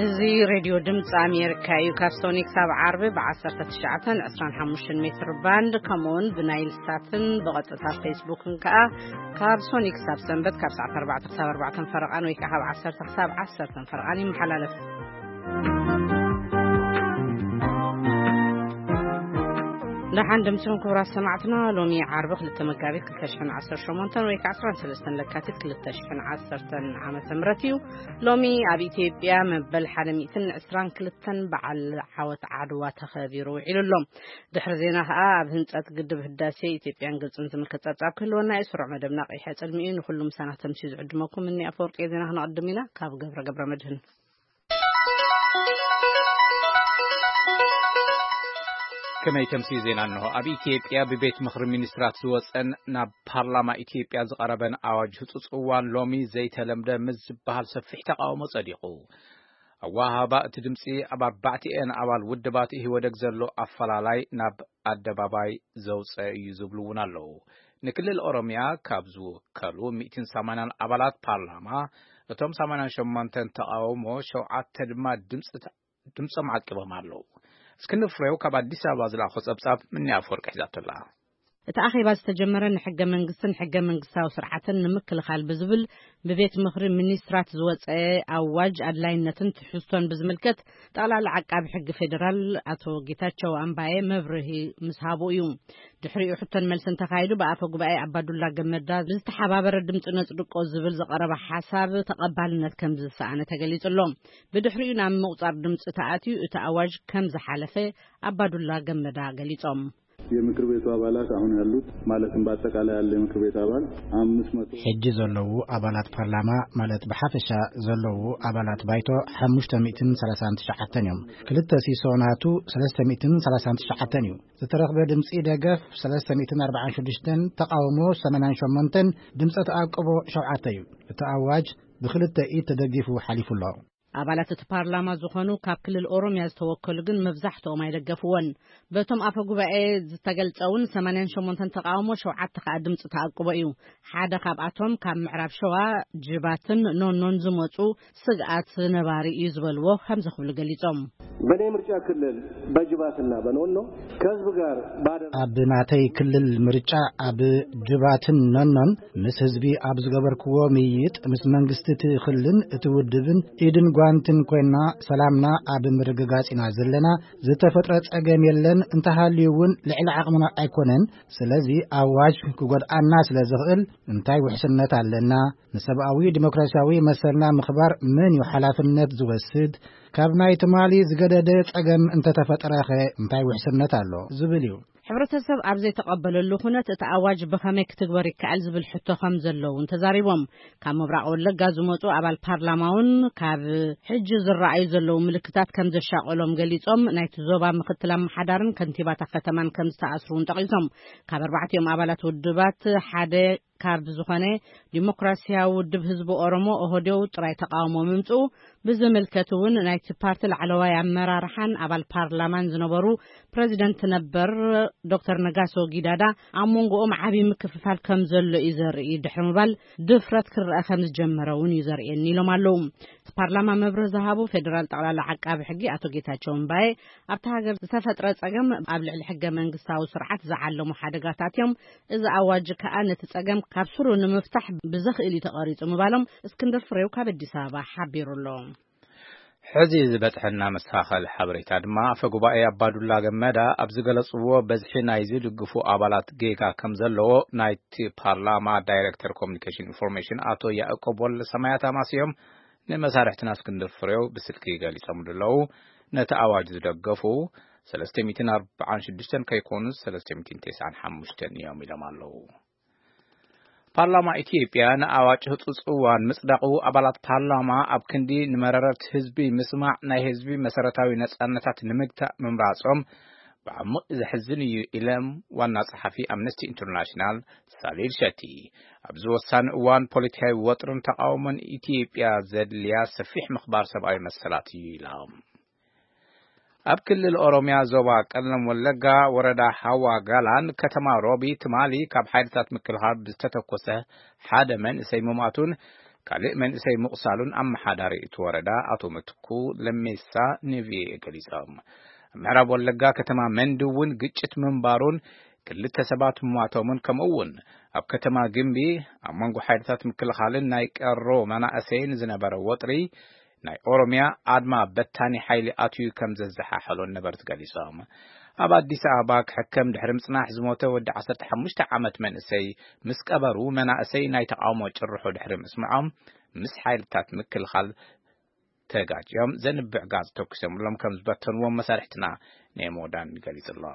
እዚ ሬድዮ ድምፂ ኣሜሪካ እዩ። ካብ ሶኒክ ሳብ ዓርቢ ብ19 25 ሜትር ባንድ፣ ከምኡውን ብናይል ሳትን ብቐጥታ ፌስቡክን ከኣ ካብ ሶኒክ ሳብ ሰንበት ካብ ሰዓት ኣርባዕተ ክሳብ ኣርባዕተ ፈረቓን ወይ ከዓ ካብ ዓሰርተ ክሳብ ዓሰርተ ፈረቓን ይመሓላለፍ። ደሓን ድምፅን ክቡራት ሰማዕትና፣ ሎሚ ዓርቢ ክልተ መጋቢት ክልተ ሽሕን ዓሰርተ ሸሞንተን ወይ ከዓ ዕስራን ሰለስተን ለካቲት ክልተ ሽሕን ዓሰርተን ዓመተ ምህረት እዩ። ሎሚ ኣብ ኢትዮጵያ መበል ሓደ ሚእትን ዕስራን ክልተን በዓል ዓወት ዓድዋ ተኸቢሩ ውዒሉ ኣሎ። ድሕሪ ዜና ከኣ ኣብ ህንጸት ግድብ ህዳሴ ኢትዮጵያን ግብጽን ዝምልከት ጸብጻብ ክህልወና እዩ። ስሩዕ መደብና ቀይሕ ጽልሚ እዩ። ንኹሉ ምሳና ተምሲ ዝዕድመኩም እኒ ኣፈወርቂ ዜና ክነቕድም ኢና። ካብ ገብረ ገብረ መድህን። ከመይ ተምሲ ዜና እንሆ። ኣብ ኢትዮጵያ ብቤት ምኽሪ ሚኒስትራት ዝወጸን ናብ ፓርላማ ኢትዮጵያ ዝቐረበን ኣዋጅ ህጹጽ እዋን ሎሚ ዘይተለምደ ምስ ዝበሃል ሰፊሕ ተቃውሞ ጸዲቑ። ኣወሃህባ እቲ ድምፂ ኣብ ኣርባዕቲኤን ኣባል ውድባት ኢህወደግ ዘሎ ኣፈላላይ ናብ ኣደባባይ ዘውፀ እዩ ዝብሉ እውን ኣለዉ። ንክልል ኦሮሚያ ካብ ዝውከሉ ሚእትን ሰማንያን ኣባላት ፓርላማ፣ እቶም ሰማንያን ሸሞንተን ተቃውሞ፣ ሸውዓተ ድማ ድምፂ ድምፆም ዓቂቦም ኣለዉ። እስክንድር ፍሬው ካብ ኣዲስ ኣበባ ዝለኣኾ ጸብጻብ ምኒ ኣፈወርቂ ሒዛቶ ኣላ። እቲ ኣኼባ ዝተጀመረ ንሕገ መንግስትን ሕገ መንግስታዊ ስርዓትን ንምክልኻል ብዝብል ብቤት ምኽሪ ሚኒስትራት ዝወፀ ኣዋጅ ኣድላይነትን ትሕዝቶን ብዝምልከት ጠቕላላ ዓቃቢ ሕጊ ፌዴራል ኣቶ ጌታቸው ኣምባየ መብርሂ ምስ ሃቡ እዩ። ድሕሪኡ ሕቶን መልስን ተኻይዱ ብኣፈ ጉባኤ ኣባዱላ ገመዳ ብዝተሓባበረ ድምፂ ነጽድቆ ዝብል ዝቐረበ ሓሳብ ተቐባልነት ከም ዝሰኣነ ተገሊጹ ኣሎ። ብድሕሪኡ ናብ ምቑጻር ድምፂ ተኣትዩ እቲ ኣዋጅ ከም ዝሓለፈ ኣባዱላ ገመዳ ገሊጾም። የምክር ቤቱ አባላት አሁን ያሉት ማለትም በአጠቃላይ ያለ የምክር ቤት አባል አምስት መቶ ሕጂ ዘለዉ ኣባላት ፓርላማ ማለት ብሓፈሻ ዘለዉ ኣባላት ባይቶ ሓሙሽተ ሚእትን ሰላሳን ትሽዓተን እዮም። ክልተ ሲሶ ናቱ ሰለስተ ሚእትን ሰላሳን ትሽዓተን እዩ። ዝተረኽበ ድምፂ ደገፍ ሰለስተ ሚእትን ኣርባዓን ሽዱሽተን፣ ተቃውሞ ሰማንያን ሸሞንተን፣ ድምፀ ተኣቅቦ ሸውዓተ እዩ። እቲ ኣዋጅ ብክልተ ኢድ ተደጊፉ ሓሊፉ ኣሎ። ኣባላት እቲ ፓርላማ ዝኾኑ ካብ ክልል ኦሮሚያ ዝተወከሉ ግን መብዛሕትኦም ኣይደገፍዎን። በቶም ኣፈ ጉባኤ ዝተገልጸ እውን ሰማንያን ሸሞንተን ተቃውሞ፣ ሸውዓተ ከኣ ድምፂ ተኣቅቦ እዩ። ሓደ ካብኣቶም ካብ ምዕራብ ሸዋ ጅባትን ኖኖን ዝመፁ ስግኣት ነባሪ እዩ ዝበልዎ ከምዚ ክብሉ ገሊጾም። በእኔ ምርጫ ክልል በጅባትና በኖኖ ከህዝብ ጋር ባደረ ኣብ ናተይ ክልል ምርጫ ኣብ ጅባትን ኖኖን ምስ ህዝቢ ኣብ ዝገበርክዎ ምይይጥ፣ ምስ መንግስቲ እቲ ክልልን እቲ ውድብን ኢድን ጓንትን ኮይና ሰላምና ኣብ ምርግጋጽ ኢና ዘለና። ዝተፈጥረ ጸገም የለን፣ እንተሃልዩ እውን ልዕሊ ዓቕምና ኣይኮነን። ስለዚ ኣዋጅ ክጎድኣና ስለ ዝኽእል እንታይ ውሕስነት ኣለና? ንሰብኣዊ ዲሞክራሲያዊ መሰልና ምኽባር መን እዩ ሓላፍነት ዝወስድ? ካብ ናይ ትማሊ ዝገደደ ጸገም እንተተፈጠረኸ እንታይ ውሕስነት ኣሎ? ዝብል እዩ። ሕብረተሰብ ኣብ ዘይተቐበለሉ ኩነት እቲ ኣዋጅ ብኸመይ ክትግበር ይከኣል ዝብል ሕቶ ከም ዘሎ እውን ተዛሪቦም። ካብ ምብራቕ ወለጋ ዝመፁ ኣባል ፓርላማ እውን ካብ ሕጂ ዝረኣዩ ዘለዉ ምልክታት ከም ዘሻቐሎም ገሊጾም፣ ናይቲ ዞባ ምክትል ኣመሓዳርን ከንቲባታ ከተማን ከም ዝተኣስሩ እውን ጠቒሶም። ካብ ኣርባዕቲኦም ኣባላት ውድባት ሓደ ካብ ዝኾነ ዲሞክራሲያዊ ውድብ ህዝቢ ኦሮሞ ኦህዴው ጥራይ ተቃውሞ ምምፅኡ ብዝምልከት እውን ናይቲ ፓርቲ ላዕለዋይ ኣመራርሓን ኣባል ፓርላማን ዝነበሩ ፕሬዚደንት ነበር ዶክተር ነጋሶ ጊዳዳ ኣብ መንጎኦም ዓብዪ ምክፍፋል ከም ዘሎ እዩ ዘርኢ ድሕሪ ምባል ድፍረት ክረአ ከም ዝጀመረ እውን እዩ ዘርእየኒ ኢሎም ኣለዉ። እቲ ፓርላማ መብርህ ዝሃቡ ፌዴራል ጠቕላላ ዓቃቢ ሕጊ ኣቶ ጌታቸው እምባዬ ኣብቲ ሃገር ዝተፈጥረ ጸገም ኣብ ልዕሊ ሕገ መንግስታዊ ስርዓት ዝዓለሙ ሓደጋታት እዮም። እዚ ኣዋጅ ከኣ ነቲ ጸገም ካብ ስሩ ንምፍታሕ ብዘኽእል እዩ ተቐሪጹ ምባሎም እስክንድር ፍሬው ካብ ኣዲስ ኣበባ ሓቢሩ ኣሎ። ሕዚ ዝበጽሐና መሳኸል ሓበሬታ ድማ ኣፈ ጉባኤ ኣባዱላ ገመዳ ኣብ ዝገለጽዎ በዝሒ ናይ ዝድግፉ ኣባላት ጌጋ ከም ዘለዎ ናይቲ ፓርላማ ዳይሬክተር ኮሚኒኬሽን ኢንፎርሜሽን ኣቶ ያዕቆብ ወልደ ሰማያት ኣማስዮም ንመሳርሕትና እስክንድር ፍሬው ብስልኪ ገሊጾምሉ ኣለዉ። ነቲ ኣዋጅ ዝደገፉ ሰለስተ ሚእትን ኣርባዓን ሽዱሽተን ከይኮኑስ ሰለስተ ሚእትን ተስዓን ሓሙሽተን እዮም ኢሎም ኣለዉ። ፓርላማ ኢትዮጵያ ንኣዋጅ ህጹጽ እዋን ምጽዳቑ ኣባላት ፓርላማ ኣብ ክንዲ ንመረረት ህዝቢ ምስማዕ ናይ ህዝቢ መሰረታዊ ነጻነታት ንምግታእ ምምራጾም ብዓሚቕ ዘሕዝን እዩ ኢሎም ዋና ጸሓፊ ኣምነስቲ ኢንተርናሽናል ሳሊል ሸቲ። ኣብዚ ወሳኒ እዋን ፖለቲካዊ ወጥርን ተቃውሞን ኢትዮጵያ ዘድልያ ሰፊሕ ምኽባር ሰብኣዊ መሰላት እዩ ኢሎም። ኣብ ክልል ኦሮሚያ ዞባ ቀለም ወለጋ ወረዳ ሃዋ ጋላን ከተማ ሮቢ ትማሊ ካብ ሓይልታት ምክልኻል ብዝተተኮሰ ሓደ መንእሰይ ምማቱን ካልእ መንእሰይ ምቑሳሉን ኣመሓዳሪ እቲ ወረዳ ኣቶ ምትኩ ለሜሳ ንቪኦኤ ገሊጾም። ኣብ ምዕራብ ወለጋ ከተማ መንዲ እውን ግጭት ምንባሩን ክልተ ሰባት ምሟቶምን፣ ከምኡ እውን ኣብ ከተማ ግምቢ ኣብ መንጎ ሓይልታት ምክልኻልን ናይ ቀሮ መናእሰይን ዝነበረ ወጥሪ ናይ ኦሮሚያ ኣድማ በታኒ ሓይሊ ኣትዩ ከም ዘዘሓሐሎን ነበርቲ ገሊጾም። ኣብ ኣዲስ ኣበባ ክሕከም ድሕሪ ምጽናሕ ዝሞተ ወዲ ዓሰርተ ሓሙሽተ ዓመት መንእሰይ ምስ ቀበሩ፣ መናእሰይ ናይ ተቃውሞ ጭርሖ ድሕሪ ምስምዖም፣ ምስ ሓይልታት ምክልኻል ተጋጭዮም ዘንብዕ ጋዝ ተኩሶምሎም ከም ዝበተንዎም መሳርሕትና ኔሞዳን ገሊጹ ኣሎ።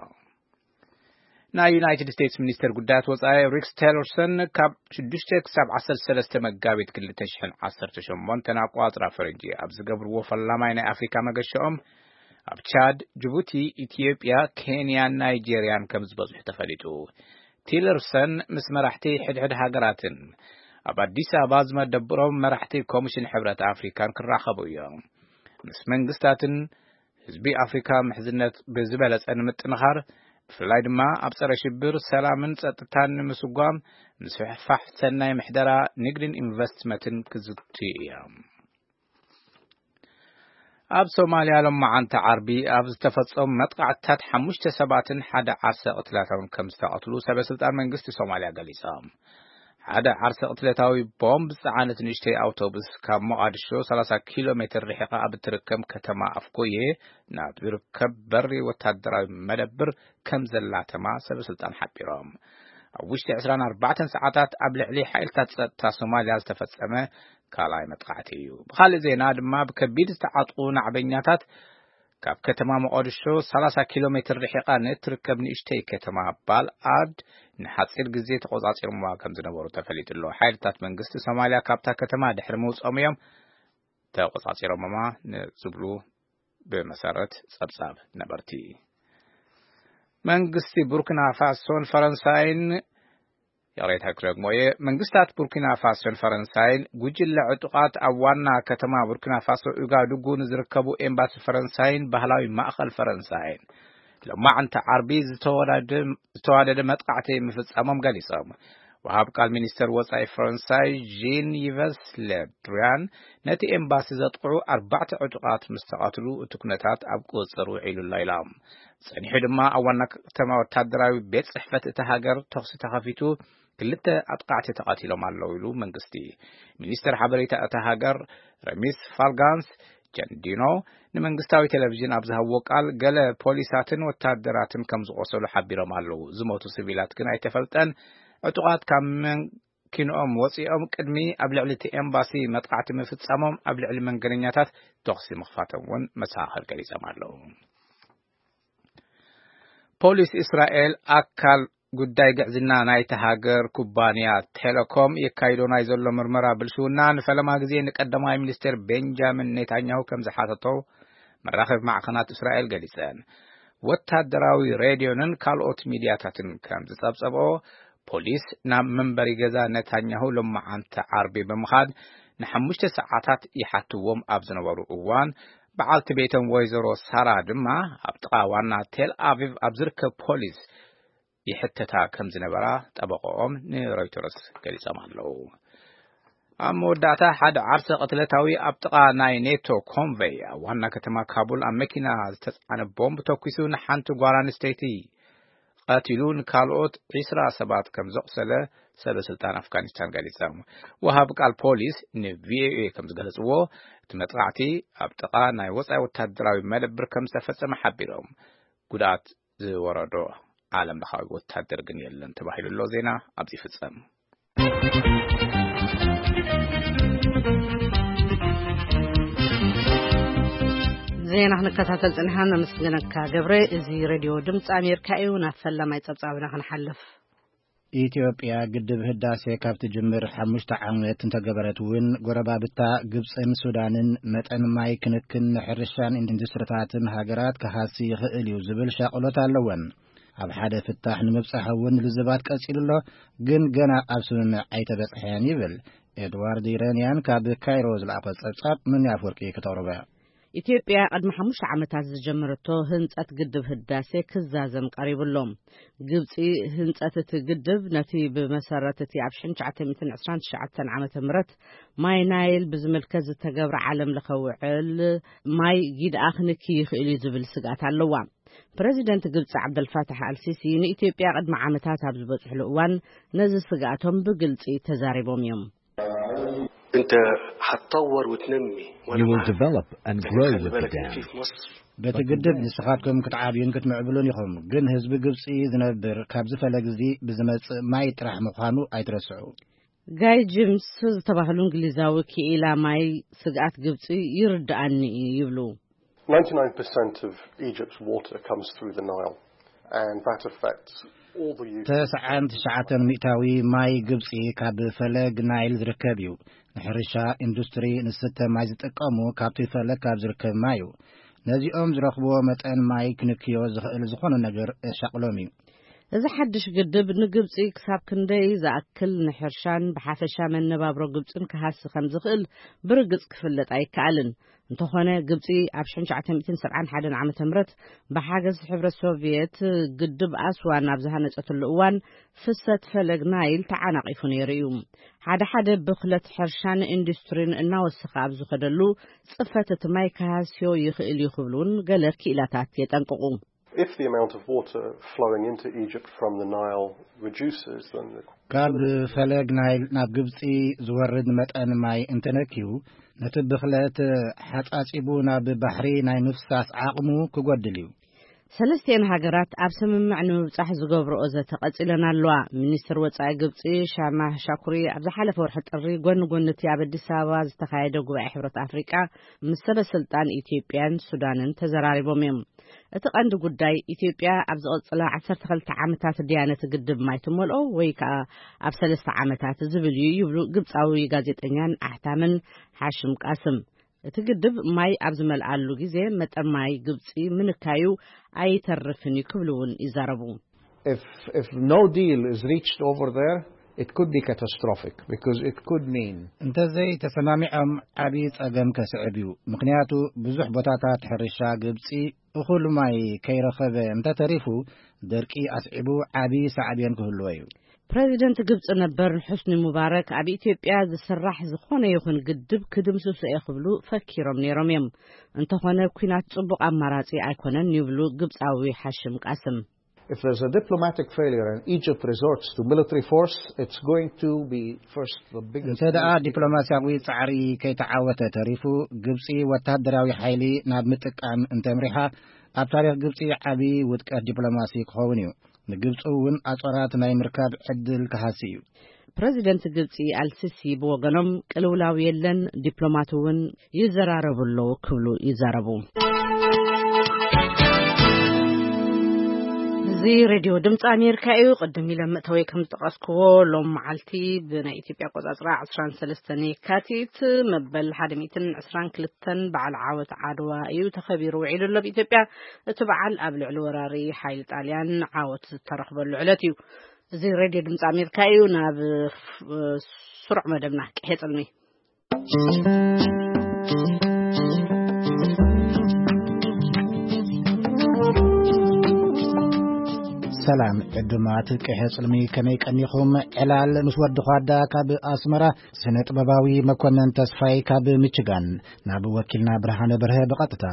ናይ ዩናይትድ ስቴትስ ሚኒስተር ጉዳያት ወጻኢ ሪክስ ቴለርሰን ካብ ሽዱሽተ ክሳብ ዓሰርተ ሰለስተ መጋቢት ክልተ ሽሕን ዓሰርተ ሸሞንተን ኣቋጽራ ፈረንጂ ኣብ ዝገብርዎ ፈላማይ ናይ ኣፍሪካ መገሸኦም ኣብ ቻድ፣ ጅቡቲ፣ ኢትዮጵያ፣ ኬንያን ናይጄርያን ከም ዝበዝሑ ተፈሊጡ። ቲለርሰን ምስ መራሕቲ ሕድሕድ ሃገራትን ኣብ ኣዲስ ኣበባ ዝመደብሮም መራሕቲ ኮሚሽን ሕብረት ኣፍሪካን ክራኸቡ እዮም። ምስ መንግስታትን ህዝቢ ኣፍሪካ ምሕዝነት ብዝበለጸ ንምጥንኻር፣ ብፍላይ ድማ ኣብ ጸረ ሽብር፣ ሰላምን ጸጥታን ንምስጓም፣ ምስፍሕፋሕ ሰናይ ምሕደራ፣ ንግድን ኢንቨስትመንትን ክዝትዩ እዮም። ኣብ ሶማልያ ሎማዓንቲ ዓርቢ ኣብ ዝተፈጸሙ መጥቃዕትታት ሓሙሽተ ሰባትን ሓደ ዓርሰ ቅትለታውን ከም ዝተቐትሉ ሰበ ስልጣን መንግስቲ ሶማልያ ገሊጾም። ሓደ ዓርሰ ቅትለታዊ ቦምብ ዝጸዓነት ንእሽተይ ኣውቶቡስ ካብ ሞቓድሾ ሰላሳ ኪሎ ሜትር ርሒቓ ኣብ እትርከብ ከተማ ኣፍኮዬ ናብ ዝርከብ በሪ ወታደራዊ መደብር ከም ዘላተማ ሰበ ስልጣን ሓቢሮም። ኣብ ውሽጢ ዕስራን ኣርባዕተን ሰዓታት ኣብ ልዕሊ ሓይልታት ጸጥታ ሶማልያ ዝተፈጸመ ካልኣይ መጥቃዕቲ እዩ። ብኻልእ ዜና ድማ ብከቢድ ዝተዓጥቑ ናዕበኛታት ካብ ከተማ ሞቓድሾ ሰላሳ ኪሎ ሜትር ርሒቓ ንእትርከብ ንእሽተይ ከተማ ባል ኣድ ንሓጺር ግዜ ተቖጻጺሮምዋ ከም ዝነበሩ ተፈሊጡ ኣሎ። ሓይልታት መንግስቲ ሶማልያ ካብታ ከተማ ድሕሪ ምውጾም እዮም ተቖጻጺሮምዋ ንዝብሉ ብመሰረት ጸብጻብ ነበርቲ። መንግስቲ ቡርኪና ፋሶን ፈረንሳይን፣ ይቕሬታ ክደግሞ እየ፣ መንግስታት ቡርኪና ፋሶን ፈረንሳይን ጉጅለ ዕጡቓት ኣብ ዋና ከተማ ቡርኪና ፋሶ ኡጋዱጉ ንዝርከቡ ኤምባሲ ፈረንሳይን ባህላዊ ማእኸል ፈረንሳይን ሎማዕንቲ ዓርቢ ዝተወዳደ-፣ ዝተዋደደ መጥቃዕቲ ምፍጻሞም ገሊጾም። ወሃብ ቃል ሚኒስተር ወጻኢ ፈረንሳይ ዢን ይቨስ ሌድሪያን ነቲ ኤምባሲ ዘጥቕዑ ኣርባዕተ ዕጡቓት ምስ ተቐትሉ እቲ ኩነታት ኣብ ቁጽጽር ውዒሉ ኣሎ ኢሎም። ጸኒሑ ድማ ኣብ ዋና ከተማ ወታደራዊ ቤት ጽሕፈት እታ ሃገር ተኹሲ ተኸፊቱ ክልተ ኣጥቃዕቲ ተቐቲሎም ኣለዉ ኢሉ መንግስቲ። ሚኒስተር ሓበሬታ እታ ሃገር ረሚስ ፋልጋንስ ጀንዲኖ ንመንግስታዊ ቴሌቪዥን ኣብ ዝሃብዎ ቃል፣ ገለ ፖሊሳትን ወታደራትን ከም ዝቖሰሉ ሓቢሮም ኣለዉ። ዝሞቱ ሲቪላት ግን ኣይተፈልጠን። ዕጡቓት ካብ መኪንኦም ወጺኦም ቅድሚ ኣብ ልዕሊ እቲ ኤምባሲ መጥቃዕቲ ምፍጻሞም፣ ኣብ ልዕሊ መንገደኛታት ተኹሲ ምኽፋቶም እውን መሰኻኽር ገሊጾም ኣለዉ። ፖሊስ እስራኤል ኣካል ጉዳይ ግዕዝና ናይቲ ሃገር ኩባንያ ቴሌኮም የካይዶ ናይ ዘሎ ምርመራ ብልሽውና ንፈለማ ግዜ ንቀዳማይ ሚኒስትር ቤንጃሚን ኔታንያሁ ከም ዝሓተቶ መራኸቢ ማዕኸናት እስራኤል ገሊጸን። ወታደራዊ ሬድዮንን ካልኦት ሚድያታትን ከም ዝጸብጸብኦ፣ ፖሊስ ናብ መንበሪ ገዛ ኔታንያሁ ሎማዓንቲ ዓርቢ ብምኻድ ንሓሙሽተ ሰዓታት ይሓትዎም ኣብ ዝነበሩ እዋን፣ በዓልቲ ቤቶም ወይዘሮ ሳራ ድማ ኣብ ጥቓ ዋና ቴል ኣቪቭ ኣብ ዝርከብ ፖሊስ ይሕተታ ከም ዝነበራ ጠበቆኦም ንሮይተርስ ገሊጾም ኣለዉ። ኣብ መወዳእታ ሓደ ዓርሰ ቅትለታዊ ኣብ ጥቓ ናይ ኔቶ ኮንቨይ ኣብ ዋና ከተማ ካቡል ኣብ መኪና ዝተጻዕነ ቦምብ ተኩሱ ንሓንቲ ጓል ኣንስተይቲ ቀቲሉ ንካልኦት ዒስራ ሰባት ከም ዘቑሰለ ሰበ ስልጣን ኣፍጋኒስታን ገሊጾም። ወሃብ ቃል ፖሊስ ንቪኦኤ ከም ዝገለጽዎ፣ እቲ መጥቃዕቲ ኣብ ጥቓ ናይ ወጻኢ ወታደራዊ መደብር ከም ዝተፈጸመ ሓቢሮም። ጉድኣት ዝወረዶ ዓለም ለኻዊ ወታደር ግን የለን ተባሂሉ ኣሎ። ዜና ኣብዚ ይፍጸም። ዜና ክንከታተል ጽኒሓን ነመስግነካ ገብረ። እዚ ሬድዮ ድምፂ ኣሜሪካ እዩ። ናብ ፈላማይ ጸብጻብና ክንሓልፍ። ኢትዮጵያ ግድብ ህዳሴ ካብ ትጅምር ሓሙሽተ ዓመት እንተገበረት እውን፣ ጎረባብታ ግብፅን ሱዳንን መጠን ማይ ክንክን ንሕርሻን ኢንዱስትሪታትን ሃገራት ክሃሲ ይኽእል እዩ ዝብል ሻቕሎት ኣለወን። ኣብ ሓደ ፍታሕ ንምብጻሕ እውን ልዝባት ቀጺሉ ኣሎ፣ ግን ገና ኣብ ስምምዕ ኣይተበጽሐን ይብል ኤድዋርድ ይረንያን ካብ ካይሮ ዝለኣኾ ጸብጻብ። ምን ኣፍወርቂ ክተቕርቦ። ኢትዮጵያ ቅድሚ ሓሙሽተ ዓመታት ዝጀመረቶ ህንጸት ግድብ ህዳሴ ክዛዘም ቀሪቡ ኣሎ። ግብጺ ህንጸት እቲ ግድብ ነቲ ብመሰረት እቲ ኣብ ሽሕን ትሽዓተ ሚእትን ዕስራን ትሽዓተን ዓመተ ምህረት ማይ ናይል ብዝምልከት ዝተገብረ ዓለም ለኸ ውዕል ማይ ጊድኣ ክንኪ ይኽእል እዩ ዝብል ስግኣት ኣለዋ። ፕረዚደንት ግብጺ ዓብደልፋታሕ ኣልሲሲ ንኢትዮጵያ ቅድሚ ዓመታት ኣብ ዝበጽሕሉ እዋን ነዚ ስግኣቶም ብግልጺ ተዛሪቦም እዮም። انت هتطور وتنمي وانا You will معك. develop and بس grow خلي with the بالك ان dam. في في مصر በቲ ግድብ ንስኻትኩም ክትዓብዩን ክትምዕብሉን ኢኹም፣ ግን ህዝቢ ግብጺ ዝነብር ካብዚ ፈለግ እዚ ብዝመጽእ ማይ ጥራሕ ምዃኑ ኣይትረስዑ። ጋይ ጅምስ ዝተባህሉ እንግሊዛዊ ክኢላ ማይ ስግኣት ግብጺ ይርድኣኒ እዩ ይብሉ። Ninety-nine percent of Egypt's water comes through the Nile, and that affects all the use. ተስዓን ትሽዓተን ሚእታዊ ማይ ግብጺ ካብ ፈለግ ናይል ዝርከብ እዩ። ንሕርሻ፣ ኢንዱስትሪ፣ ንስተ ማይ ዝጥቀሙ ካብቲ ፈለግ ካብ ዝርከብ ማይ እዩ። ነዚኦም ዝረኽብዎ መጠን ማይ ክንክዮ ዝኽእል ዝኾነ ነገር የሻቕሎም እዩ። እዚ ሓድሽ ግድብ ንግብጺ ክሳብ ክንደይ ዝኣክል ንሕርሻን ብሓፈሻ መነባብሮ ግብጽን ክሃሲ ከም ዝኽእል ብርግጽ ክፍለጥ ኣይከኣልን። እንተኾነ ግብጺ ኣብ ሽሕን ትሽዓተ ሚእትን ሰብዓን ሓደን ዓመተ ምህረት ብሓገዝ ሕብረት ሶቪየት ግድብ ኣስዋን ኣብ ዝሃነጸትሉ እዋን ፍሰት ፈለግ ናይል ተዓናቒፉ ነይሩ እዩ። ሓደ ሓደ ብኽለት ሕርሻን ኢንዱስትሪን እናወሰኸ ኣብ ዝኸደሉ ጽፈት እቲ ማይ ክሃስዮ ይኽእል እዩ ክብሉ እውን ገለ ክኢላታት የጠንቅቑ። If the amount of water flowing into Egypt from the Nile reduces, then the ካብ ፈለግ ናይል ናብ ግብጺ ዝወርድ መጠን ማይ እንተነክዩ፣ ነቲ ብኽለት ሓጻጺቡ ናብ ባሕሪ ናይ ምፍሳስ ዓቕሙ ክጎድል እዩ። ሰለስቲኤን ሃገራት ኣብ ስምምዕ ንምብጻሕ ዝገብርኦ ዘተ ቀጺለን ኣለዋ። ሚኒስትር ወጻኢ ግብጺ ሻማህ ሻኩሪ ኣብ ዝሓለፈ ወርሒ ጥሪ ጎኒ ጎኒ እቲ ኣብ ኣዲስ ኣበባ ዝተኻየደ ጉባኤ ሕብረት ኣፍሪቃ ምስ ሰበ ስልጣን ኢትዮጵያን ሱዳንን ተዘራሪቦም እዮም። እቲ ቀንዲ ጉዳይ ኢትዮጵያ ኣብ ዝቐጽላ ዓሰርተ ክልተ ዓመታት ድያ ነቲ ግድብ ማይ ትመልኦ ወይ ከኣ ኣብ ሰለስተ ዓመታት ዝብል እዩ ይብሉ ግብጻዊ ጋዜጠኛን ኣሕታምን ሓሽም ቃስም። እቲ ግድብ ማይ ኣብ ዝመልኣሉ ግዜ መጠን ማይ ግብጺ ምንካዩ ኣይተርፍን እዩ ክብሉ እውን ይዛረቡ። If if no deal is reached over there, it could be catastrophic because it could mean እንተዘይ ተሰማሚዖም ዓቢ ጸገም ከስዕብ እዩ። ምኽንያቱ ብዙሕ ቦታታት ሕርሻ ግብጺ እኹል ማይ ከይረኸበ እንተተሪፉ ደርቂ ኣስዒቡ ዓቢ ሳዕቤን ክህልዎ እዩ። ፕረዚደንት ግብጺ ነበር ሑስኒ ሙባረክ ኣብ ኢትዮጵያ ዝስራሕ ዝኾነ ይኹን ግድብ ክድምስሶ እየ ክብሉ ፈኪሮም ነይሮም እዮም። እንተኾነ ኲናት ጽቡቕ ኣማራጺ ኣይኮነን ይብሉ ግብጻዊ ሓሽም ቃስም። If there's a diplomatic failure and Egypt resorts to military force, it's going to be first the biggest. እንተ ደኣ ዲፕሎማስያዊ ጻዕሪ ከይተዓወተ ተሪፉ ግብጺ ወታደራዊ ሓይሊ ናብ ምጥቃም እንተምሪሓ ኣብ ታሪኽ ግብጺ ዓቢ ውድቀት ዲፕሎማሲ ክኸውን እዩ። ንግብጺ እውን ኣጾራት ናይ ምርካብ ዕድል ክሃሲ እዩ። ፕረዚደንት ግብጺ ኣልሲሲ ብወገኖም ቅልውላው የለን፣ ዲፕሎማት እውን ይዘራረቡ ኣለዉ ክብሉ ይዛረቡ። እዚ ሬድዮ ድምፂ ኣሜሪካ እዩ። ቅድም ኢለ መእተወይ ከም ዝጠቐስክዎ ሎም መዓልቲ ብናይ ኢትዮጵያ ኣቆፃፅራ ዕስራን ሰለስተን የካቲት መበል ሓደ ሚእትን ዕስራን ክልተን በዓል ዓወት ዓድዋ እዩ ተኸቢሩ ውዒሉ ኣሎ ብኢትዮጵያ። እቲ በዓል ኣብ ልዕሊ ወራሪ ሓይሊ ጣልያን ዓወት ዝተረኽበሉ ዕለት እዩ። እዚ ሬድዮ ድምፂ ኣሜሪካ እዩ። ናብ ስሩዕ መደብና ቅሄ ፅልሚ። ሰላም ዕዱማት ቅሄ ጽልሚ፣ ከመይ ቀኒኹም? ዕላል ምስ ወዲ ኳዳ ካብ ኣስመራ፣ ስነ ጥበባዊ መኮነን ተስፋይ ካብ ሚችጋን፣ ናብ ወኪልና ብርሃነ በርሀ ብቐጥታ።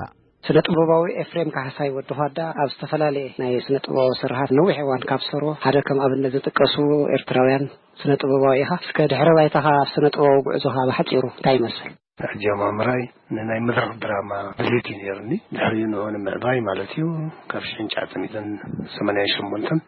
ስነ ጥበባዊ ኤፍሬም ካሕሳይ ወዲ ኳዳ ኣብ ዝተፈላለየ ናይ ስነ ጥበባዊ ስርሓት ነዊሕ እዋን ካብ ዝሰርዎ ሓደ ከም ኣብነት ዝጥቀሱ ኤርትራውያን ስነ ጥበባዊ ኢኻ። እስከ ድሕረ ባይታኻ ኣብ ስነ ጥበባዊ ጉዕዞኻ ብሓጺሩ እንታይ ይመስል? ኣጀማምራይ ንናይ መድረኽ ድራማ ድሌት እዩ ነይሩኒ። ድሕሪኡ ንዑ ንምዕባይ ማለት እዩ። ካብ ሽሕን ትሽዓተ ሚእትን ሰማንያን ሸሞንተን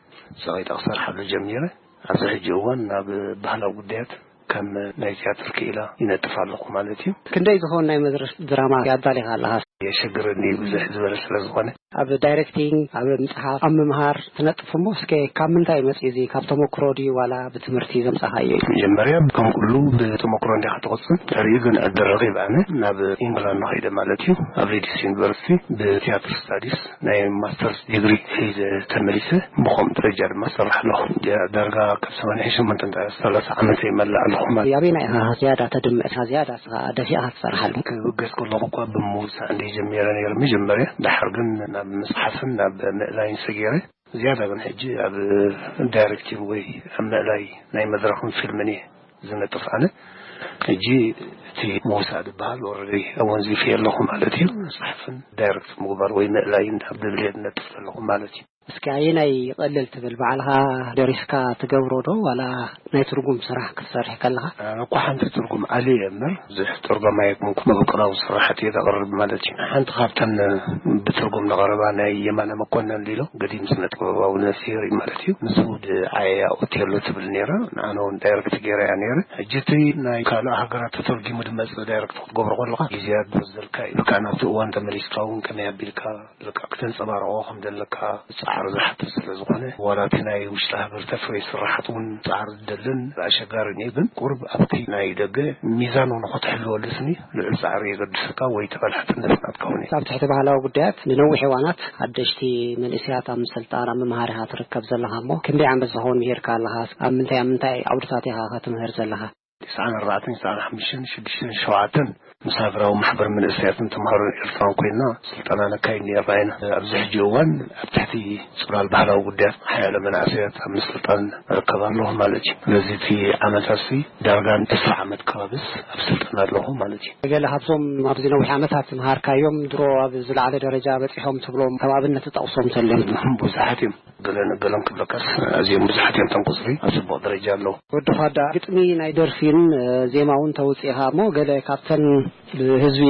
ሰቒጠ ክሰርሓሉ ጀሚረ። ኣብዚ ሕጂ እዋን ናብ ባህላዊ ጉዳያት ከም ናይ ትያትር ክኢላ ይነጥፍ ኣለኹ ማለት እዩ። ክንደይ ዝኸውን ናይ መድረኽ ድራማ ኣዳሊኻ ኣለኻ? የሸግረኒ እዩ፣ ብዝሕ ዝበለ ስለ ዝኾነ። ኣብ ዳይሬክቲንግ፣ ኣብ ምጽሓፍ፣ ኣብ ምምሃር ትነጥፍ እሞ፣ እስከ ካብ ምንታይ መጽዩ እዚ? ካብ ተመክሮ ድዩ ዋላ ብትምህርቲ ዘምጻኻዮ እዩ? መጀመርያ ከም ኩሉ ብተመክሮ እንዲኻ ትቕጽል። ድሕሪኡ ግን ዕድል ረኺብ ኣነ ናብ ኢንግላንድ ከይደ ማለት እዩ። ኣብ ሊድስ ዩኒቨርሲቲ ብቲያትር ስታዲስ ናይ ማስተርስ ዲግሪ ሒዘ ተመሊሰ። ብኸምኡ ደረጃ ድማ ዝሰርሕ ኣለኹ። ዳርጋ ካብ ሰማንያ ሸሞንተ ንታዕ ሰላሳ ዓመት ይመልእ ኣለኹ ማለት። ኣበየናይ ኢኻ ዝያዳ ተድምዕ? እታ ዝያዳ ንስኻ ደፊእኻ ትሰርሓሉ? ክብገስ ከለኹ እኳ ብምውሳእ እንደ ጀሚረ ነይረ መጀመርያ። ደሓር ግን ናብ ምጽሓፍን ናብ ምእላይን ሰጊረ። ዝያዳ ግን ሕጂ ኣብ ዳይሬክቲንግ ወይ ኣብ ምእላይ ናይ መድረኽን ፊልምን እየ ዝነጥፍ ኣነ። ሕጂ እቲ ምውሳእ ዝበሃል ኦረዲ ኣወንዚፈ ኣለኹ ማለት እዩ። ምጽሓፍን ዳይሬክት ምግባር ወይ ምእላይን ኣብ ድብልየ ዝነጥፍ ኣለኹ ማለት እዩ። እስኪ ኣየናይ ይቐልል ትብል? ባዕልኻ ደሪስካ ትገብሮ ዶ ዋላ ናይ ትርጉም ስራሕ ክትሰርሕ ከለኻ? ኣነ እኮ ሓንቲ ትርጉም ኣልየ እየ እምበር፣ ብዙሕ ተርጓማይ ኣይኮንኩን፣ መበቆላዊ ስራሓት እየ ዘቕርብ ማለት እዩ። ሓንቲ ካብተን ብትርጉም ዝቐረባ ናይ የማነ መኮነን ሊሎ፣ ገዲም ስነ ጥበባዊ ነፍሲ የርኢ ማለት እዩ። ንሱ ድዓየያ ኦቴሎ ትብል ነይራ፣ ንኣነ እውን ዳይሬክት ገይረያ ነይረ። ሕጂ እቲ ናይ ካልእ ሃገራት ተተርጊሙ ድመጽእ ዳይሬክት ክትገብሮ ከለኻ፣ ግዜያት ዝወስደልካ እዩ። ብከኣ ናብቲ እዋን ተመሊስካ እውን ከመይ ኣቢልካ በቃ ክተንጸባርቖ ከም ዘለካ ጻዕሪ ዝሓትት ስለ ዝኾነ፣ ዋላ እቲ ናይ ውሽጢ ሃገር ተፍሪ ስራሓት እውን ጻዕሪ ዝደልን ኣሸጋሪ እዩ። ግን ቁሩብ ኣብቲ ናይ ደገ ሚዛን እውን ንኸትሕልወሉ ስኒ ልዑል ጻዕሪ የገድሰካ ወይ ተበላሕትነት ናትካ እውን እዩ። ኣብ ትሕቲ ባህላዊ ጉዳያት ንነዊሕ እዋናት ሓደሽቲ መንእሰያት ኣብ ምስልጣን፣ ኣብ ምምሃር ኢኻ ትርከብ ዘለኻ እሞ፣ ክንደይ ዓመት ዝኸውን ምሂርካ ኣለኻ? ኣብ ምንታይ፣ ኣብ ምንታይ ዓውድታት ኢኻ ኸትምህር ዘለኻ? ትስዓን ኣርባዕተን፣ ትስዓን ሓሙሽተን፣ ሽዱሽተን፣ ሸውዓተን ምስ ሃገራዊ ማሕበር መንእሰያትን ተምሃሮን ኤርትራን ኮይንና ስልጠና ነካይድ ነይርና ኢና። ኣብዚ ሕጂ እዋን ኣብ ትሕቲ ጽላል ባህላዊ ጉዳያት ሓያሎ መናእሰያት ኣብ ምስልጣን እርከብ ኣለኹ ማለት እዩ። ስለዚ እቲ ዓመታትሲ ዳርጋ ዕስራ ዓመት ከባቢስ ኣብ ስልጠና ኣለኹ ማለት እዩ። ገለ ካብዞም ኣብዚ ነዊሕ ዓመታት ዝመሃርካዮም ድሮ ኣብ ዝለዓለ ደረጃ በጺሖም ትብሎም ከም ኣብነት ትጠቕሶም ተልዮም? ብዙሓት እዮም። ገለን ገለን ክብለካስ ኣዝዮም ብዙሓት እዮም። እቶም ቁጽሪ ኣብ ጽቡቕ ደረጃ ኣለዉ። ወዲ ኻዳ፣ ግጥሚ ናይ ደርፊን፣ እ፣ ዜማ እውን ተውጽእ ኢኻ እሞ፣ ገለ ካብተን ብህዝቢ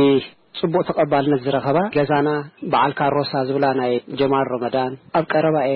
ጽቡቕ ተቐባልነት ዝረኸባ፣ ገዛና፣ በዓል ካሮሳ ዝብላ ናይ ጀማል ረመዳን፣ ኣብ ቀረባ'የ፣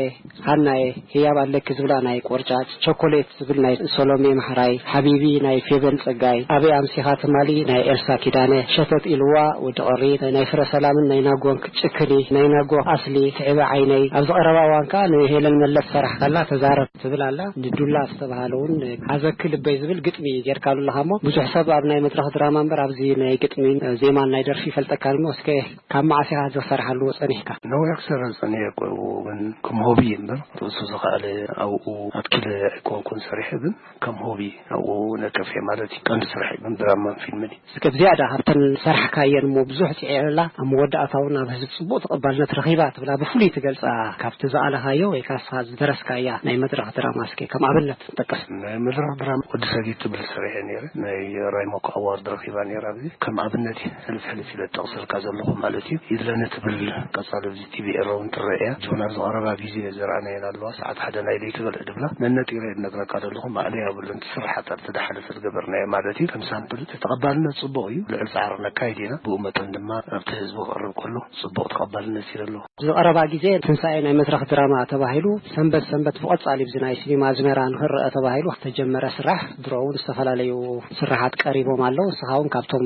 ሃና'የ፣ ህያብ ኣለኪ ዝብላ ናይ ቆርጫጭ፣ ቸኮሌት ዝብል ናይ ሰሎሜ ማሕራይ፣ ሓቢቢ ናይ ፌቨን ጸጋይ፣ ኣበይ ኣምሲኻ ትማሊ ናይ ኤልሳ ኪዳነ፣ ሸተት ኢልዋ ወዲ ቐሪ፣ ናይ ፍረ ሰላምን ናይ ናጎን ጭክኒ፣ ናይ ናጎ ኣስሊ፣ ትዕበ ዓይነይ። ኣብዚ ቀረባ እዋን ከኣ ንሄለን መለስ ሰራሕ ከላ ተዛረብ ትብል ኣላ። ንዱላ ዝተባህለ እውን ሓዘኪ ልበይ ዝብል ግጥሚ ጌርካሉ ኣለኻ እሞ፣ ብዙሕ ሰብ ኣብ ናይ መድረኽ ድራማ እምበር ኣብዚ ናይ ግጥሚን ዜማን ናይ ደርፊ ይፈልጠካ እሞ፣ እስከ ካብ መዓስ ኢኻ ዝሰርሓሉ ጸኒሕካ? ነዊሕ ክሰርሕ ጸኒሐ እኮ፣ ግን ከም ሆቢ እምበር ርእሱ ዝኸኣለ ኣብኡ ኣትኪለ ኣይኮንኩን ሰሪሐ፣ ግን ከም ሆቢ ኣብኡ ነጥፍ እየ ማለት እዩ። ቀንዲ ስራሕ ግን ድራማን ፊልምን እዩ። እስከ ብዝያዳ ካብተን ዝሰራሕካየን እሞ ብዙሕ ጽዒረላ ኣብ መወዳእታ እውን ኣብ ህዝቢ ጽቡቕ ተቐባልነት ረኺባ ትብላ ብፍሉይ ትገልጻ ካብቲ ዝኣለኻዮ ወይ ካብ ንስኻ ዝደረስካያ ናይ መድረኽ ድራማ እስከ ከም ኣብነት ትጠቅስ? ናይ መድረኽ ድራማ ወዲ ሰጊድ ትብል ሰሪሐ ነይረ። ናይ ራይሞኮ ኣዋርድ ረኺባ ነይራ። ኣብዚ ከም ኣብነት እዩ ሕልፍ ሕልፍ ኢለ ዝጠቕሰልካ ዘለኹ ማለት እዩ። ይድለኒ ትብል ቀጻሊ ኣብዚ ቲቪ ኤረ እውን ትረአ እያ። ጆና ዝቐረባ ግዜ ዘርኣናየን ኣለዋ። ሰዓት ሓደ ናይ ለይቲ በልዕ ድብላ ነነጢረ እየ ዝነግረካ ዘለኹ። ማእለያ የብሉን። እቲ ስራሓት ኣብቲ ዝሓለፈ ዝገበርናዮ ማለት እዩ። ከም ሳምፕል እቲ ተቐባልነት ጽቡቕ እዩ። ልዑል ጻዕሪ ነካይድ ኢና። ብኡ መጠን ድማ ኣብቲ ህዝቢ ክቐርብ ከሎ ጽቡቕ ተቐባልነት እዩ ዘለዎ። እዚ ቀረባ ግዜ ትንሳኤ ናይ መድረኽ ድራማ ተባሂሉ ሰንበት ሰንበት ብቐጻሊ ብዚ ናይ ሲኒማ ኣዝመራ ንኽረአ ተባሂሉ ዝተጀመረ ስራሕ፣ ድሮ እውን ዝተፈላለዩ ስራሓት ቀሪቦም ኣለዉ። ንስኻ እውን ካብቶም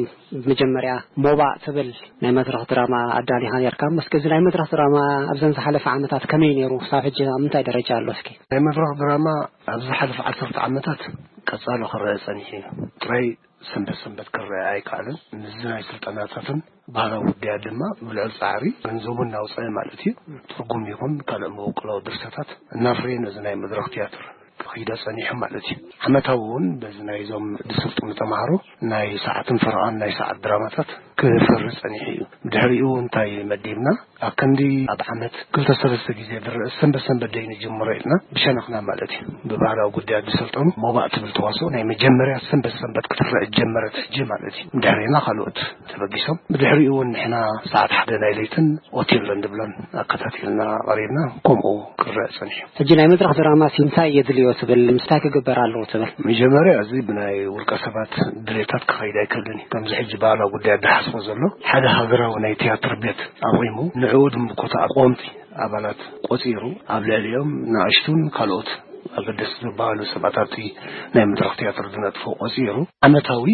መጀመርያ ሞባእ ትብል ናይ መድረኽ ድራማ ኣዳሊኻ ነርካ። እስኪ እዚ ናይ መድረኽ ድራማ ኣብዘን ዝሓለፈ ዓመታት ከመይ ነይሩ? ክሳብ ሕጂ ኣብ ምንታይ ደረጃ ኣሎ? እስኪ ናይ መድረኽ ድራማ ኣብ ዝሓለፈ ዓሰርተ ዓመታት ቀጻሊ ክረአ ጸኒሑ እዩ። ጥራይ ሰንበት ሰንበት ክረአ ኣይከኣለን። ምስዚ ናይ ስልጠናታትን ባህላዊ ጉዳያት ድማ ብልዑል ጻዕሪ ገንዘቡ እናውፀአ ማለት እዩ። ትርጉም ይኹን ካልእ መበቆላዊ ድርሰታት እናፍረየ ነዚ ናይ መድረኽ ትያትር ክኺዶ ጸኒሑ ማለት እዩ። ዓመታዊ እውን በዚ ናይዞም ዝስልጥኑ ተምሃሮ ናይ ሰዓትን ፈረቓን ናይ ሰዓት ድራማታት ክፈሪ ጸኒሑ እዩ። ድሕሪኡ እንታይ መዲብና? ኣብ ክንዲ ኣብ ዓመት ክልተ ሰለስተ ግዜ ዝረአ ሰንበት ሰንበት ደይ ንጅምሮ ኢልና ብሸነኽና ማለት እዩ። ብባህላዊ ጉዳያት ዝሰልጠኑ ሞባእ ትብል ተዋስኦ ናይ መጀመርያ ሰንበት ሰንበት ክትረአ ጀመረት ሕጂ ማለት እዩ። ድሕሪና ካልኦት ተበጊሶም፣ ብድሕሪኡ እውን ንሕና ሰዓት ሓደ ናይ ለይትን ኦቴሎን ድብሎን ኣከታቲልና ቀሪብና፣ ከምኡ ክረአ ጸኒሑ። ሕጂ ናይ መድረኽ ድራማ ሲ እንታይ የድልዮ ትብል? ምስታይ ክግበር ኣለዎ ትብል? መጀመርያ እዚ ብናይ ውልቀ ሰባት ድሌታት ክኸይድ ኣይክእልን እዩ። ከምዚ ሕጂ ባህላዊ ጉዳያት ዝሓስቦ ዘሎ ሓደ ሃገራዊ ናይ ትያትር ቤት ኣቑሙ፣ ንዕኡ ድምኮታ ቆምቲ ኣባላት ቆጺሩ ኣብ ልዕሊኦም ንኣሽቱን ካልኦት ኣገደስቲ ዝበሃሉ ሰባት ኣብቲ ናይ መድረኽ ትያትር ዝነጥፎ ቆፂሩ ዓመታዊ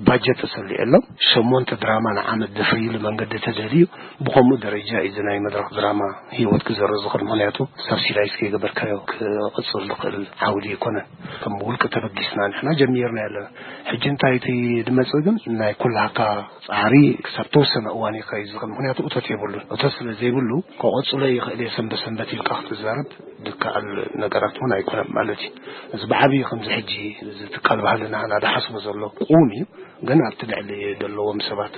ባጀት ተሰሊዑሎም ሸሞንተ ድራማ ንዓመት ዘፍርይሉ መንገዲ ተደልዩ። ብኸምኡ ደረጃ እዩ እዚ ናይ መድረኽ ድራማ ህይወት ክዘርእ ዝኽእል። ምኽንያቱ ሳብሲዳይዝ ከይገበርካዮ ክቕፅል ዝኽእል ዓውዲ ኣይኮነን። ከም ውልቂ ተበጊስና ንሕና ጀሚርና ኣለና። ሕጂ እንታይ እቲ ድመፅእ ግን ናይ ኩላካ ፃዕሪ ክሳብ ተወሰነ እዋን ይኸይድ ዝኽእል። ምኽንያቱ እቶት የብሉን። እቶት ስለ ዘይብሉ ክቐፅሎ ይኽእል እየ ሰንበት ሰንበት ኢልካ ክትዛረብ ዝከኣል ነገራት እውን ኣይኮነን ማለት እዩ። እዚ ብዓብዪ ከምዚ ሕጂ እዚ ትካል ባህልና ናዳሓስቦ ዘሎ ቁም እዩ። ግን ኣብቲ ልዕሊ ዘለዎም ሰባት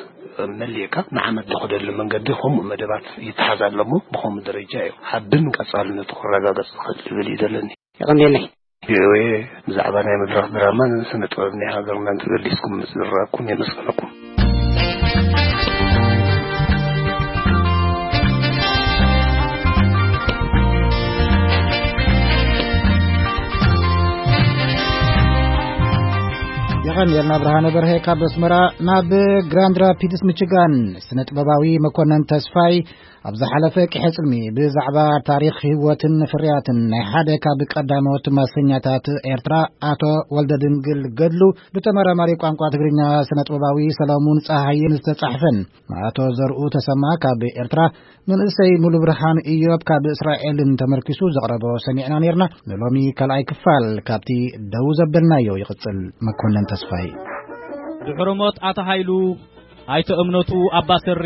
መሊእካ ንዓመት ዝኸደሉ መንገዲ ከምኡ መደባት ይተሓዝ ኣሎ እሞ ብኸምኡ ደረጃ እዩ ሓብን ቀፃልነቱ ክረጋገፅ ዝኽእል ዝብል እዩ ዘለኒ። የቐንየለይ። ቪኦኤ ብዛዕባ ናይ መድረኽ ድራማን ስነ ጥበብ ናይ ሃገርናን ተገሊጽኩም ምስ ዝረኣኩም የመስግነኩም። የቐንየልና ብርሃነ በርሀ ካብ ኣስመራ። ናብ ግራንድ ራፒድስ ሚችጋን ስነ ጥበባዊ መኮነን ተስፋይ ኣብ ዝሓለፈ ቅሐ ጽልሚ ብዛዕባ ታሪኽ ህይወትን ፍርያትን ናይ ሓደ ካብ ቀዳሞት ማሰኛታት ኤርትራ ኣቶ ወልደ ድንግል ገድሉ ብተመራማሪ ቋንቋ ትግርኛ ስነ ጥበባዊ ሰለሙን ጸሃይን ዝተጻሕፈን ኣቶ ዘርኡ ተሰማ ካብ ኤርትራ፣ መንእሰይ ሙሉ ብርሃን ኢዮብ ካብ እስራኤልን ተመርኪሱ ዘቕረቦ ሰሚዕና ነርና። ንሎሚ ካልኣይ ክፋል ካብቲ ደው ዘበልናዮ ይቕጽል። መኮነን ተስፋይ። ድሕሪ ሞት ኣታ ሃይሉ ኣይተ እምነቱ ኣባሰሪ